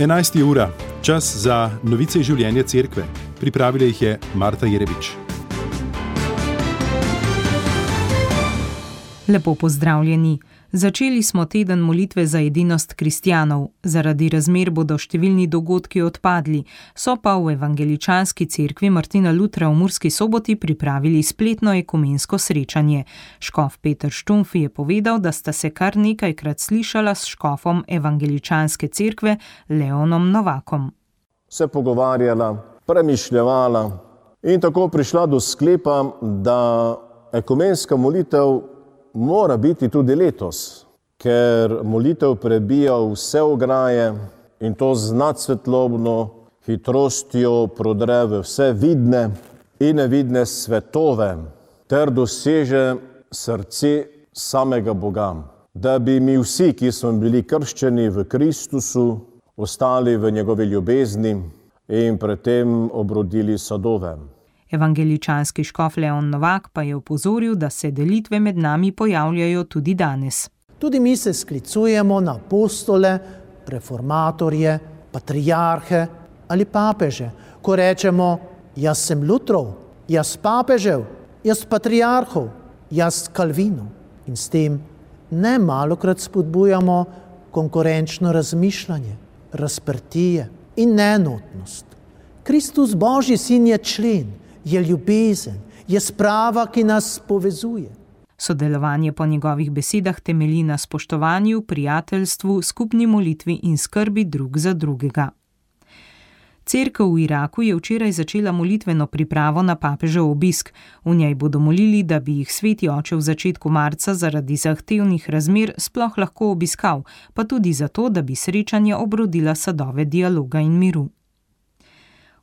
11. ura, čas za novice iz življenja cerkve. Pripravila jih je Marta Jerebič. Lepo pozdravljeni. Začeli smo teden molitve za edinost kristjanov. Zaradi razmer bodo številni dogodki odpadli, so pa v Evangeličanski cerkvi Martina Lutra v Murski Soboti pripravili spletno ekumensko srečanje. Škof Peter Štumpf je povedal, da sta se kar nekajkrat slišala s škofom Evangeličanske cerkve Leonom Novakom. Se pogovarjala, premišljevala in tako prišla do sklepa, da ekumenska molitev mora biti tudi letos, ker molitev prebija vse ograje in to z nadsvetlobno hitrostjo prodre v vse vidne in nevidne svetove ter doseže srce samega Boga. Da bi mi vsi, ki smo bili krščeni v Kristusu, ostali v njegovi ljubezni in pred tem obrodili sadove. Evangeličanski škof Leon Novak pa je opozoril, da se delitve med nami pojavljajo tudi danes. Tudi mi se sklicujemo na apostole, reformatorje, patriarhe ali papeže. Ko rečemo, jaz sem Lutrov, jaz papežev, jaz patriarhov, jaz Kalvinov. In s tem ne malokrat spodbujamo konkurenčno razmišljanje, razprtije in neenotnost. Kristus, Božji sin, je člen, je ljubezen, je sprava, ki nas povezuje. Sodelovanje po njegovih besedah temelji na spoštovanju, prijateljstvu, skupni molitvi in skrbi drug za drugega. Cerkev v Iraku je včeraj začela molitveno pripravo na papežev obisk. V njej bodo molili, da bi jih sveti oče v začetku marca zaradi zahtevnih razmer sploh lahko obiskal, pa tudi zato, da bi srečanja obrodila sadove dialoga in miru.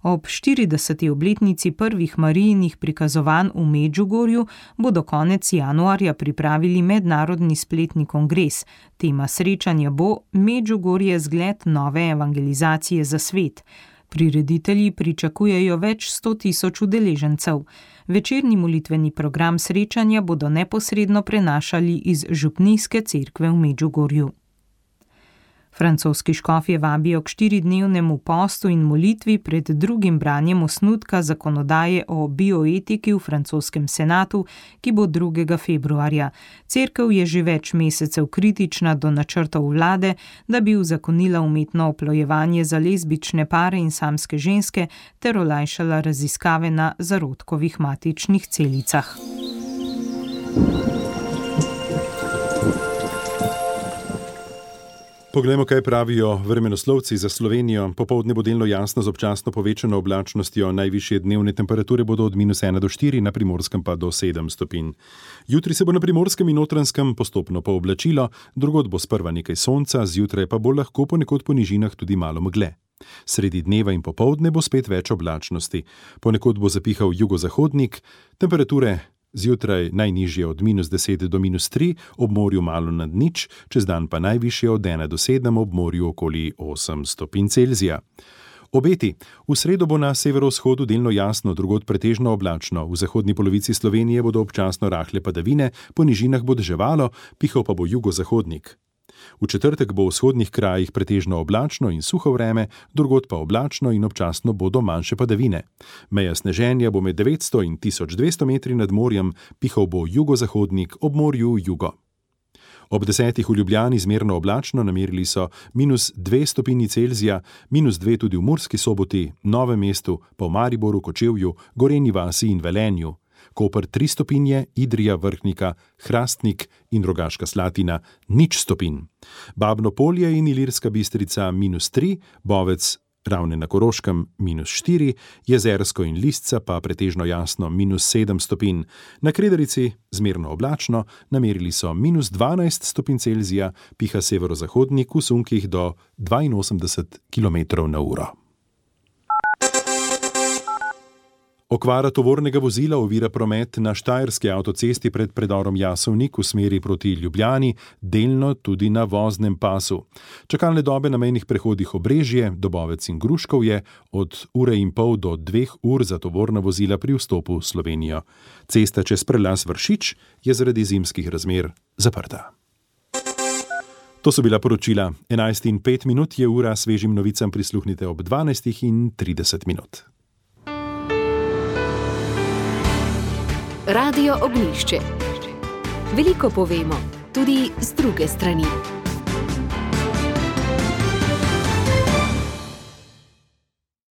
Ob 40. obletnici prvih Marijinih prikazovanj v Medžugorju bodo konec januarja pripravili mednarodni spletni kongres. Tema srečanja bo Medžugorje zgled nove evangelizacije za svet. Prireditelji pričakujejo več 100.000 udeležencev. Večerni molitveni program srečanja bodo neposredno prenašali iz župnijske cerkve v Medžugorju. Francoski škofje vabijo k 4-dnevnemu postu in molitvi pred drugim branjem osnutka zakonodaje o bioetiki v francoskem senatu, ki bo 2. februarja. Cerkev je že več mesecev kritična do načrtov vlade, da bi uzakonila umetno oplojevanje za lezbične pare in samske ženske ter olajšala raziskave na zarodkovih matičnih celicah. Poglejmo, kaj pravijo vremenoslovci za Slovenijo. Popoldne bo delno jasno z občasno povečano oblačnostjo. Najvišje dnevne temperature bodo od -1 do 4, na Primorskem pa do 7 stopinj. Jutri se bo na Primorskem in Notranjskem postopno pooblačilo, drugod bo sprva nekaj sonca, zjutraj pa bo lahko ponekod po nižinah tudi malo megle. Sredi dneva in popoldne bo spet več oblačnosti. Ponekod bo zapihal jugozahodnik, temperature zjutraj najnižje od -10 do -3, ob morju malo nad nič, čez dan pa najvišje od 1 do 7, ob morju okoli 8 stopinj Celzija. Obeti. V sredo bo na severovzhodu delno jasno, drugod pretežno oblačno. V zahodni polovici Slovenije bodo občasno rahle padavine, po nižinah bo deževalo, pihal pa bo jugozahodnik. V četrtek bo v vzhodnih krajih pretežno oblačno in suho vreme, drugod pa oblačno in občasno bodo manjše padavine. Meja sneženja bo med 900 in 1200 metri nad morjem, pihal bo jugozahodnik, ob morju jugo. Ob 10. v Ljubljani zmerno oblačno, namerili so -2 stopinji Celzija, -2 tudi v Murski Soboti, Novem mestu, pa v Mariboru, Kočevju, Gorenji vasi in Velenju. Koper 3 stopinje, Idrija, Vrhnika, Hrastnik in Rogaška Slatina 0 stopinj. Babno Polje in Ilirska Bistrica -3, Bovec, Ravne na Koroškem -4, Jezersko in Lisca pa pretežno jasno -7 stopinj. Na Kredarici zmerno oblačno, namerili so -12 stopinj Celzija, piha severozahodnik v sunkih do 82 km/h. Okvara tovornega vozila ovira promet na štajerski avtocesti pred predorom Jasovnik v smeri proti Ljubljani, delno tudi na voznem pasu. Čakalne dobe na mejnih prehodih Obrežje, Dobovec in Gruškovje od 1,5 do 2 ur za tovorna vozila pri vstopu v Slovenijo. Cesta čez prelaz Vršič je zaradi zimskih razmer zaprta. To so bila poročila. 11:05 je ura, svežim novicam prisluhnite ob 12:30. Radio Ognjišče. Veliko povemo, tudi z druge strani.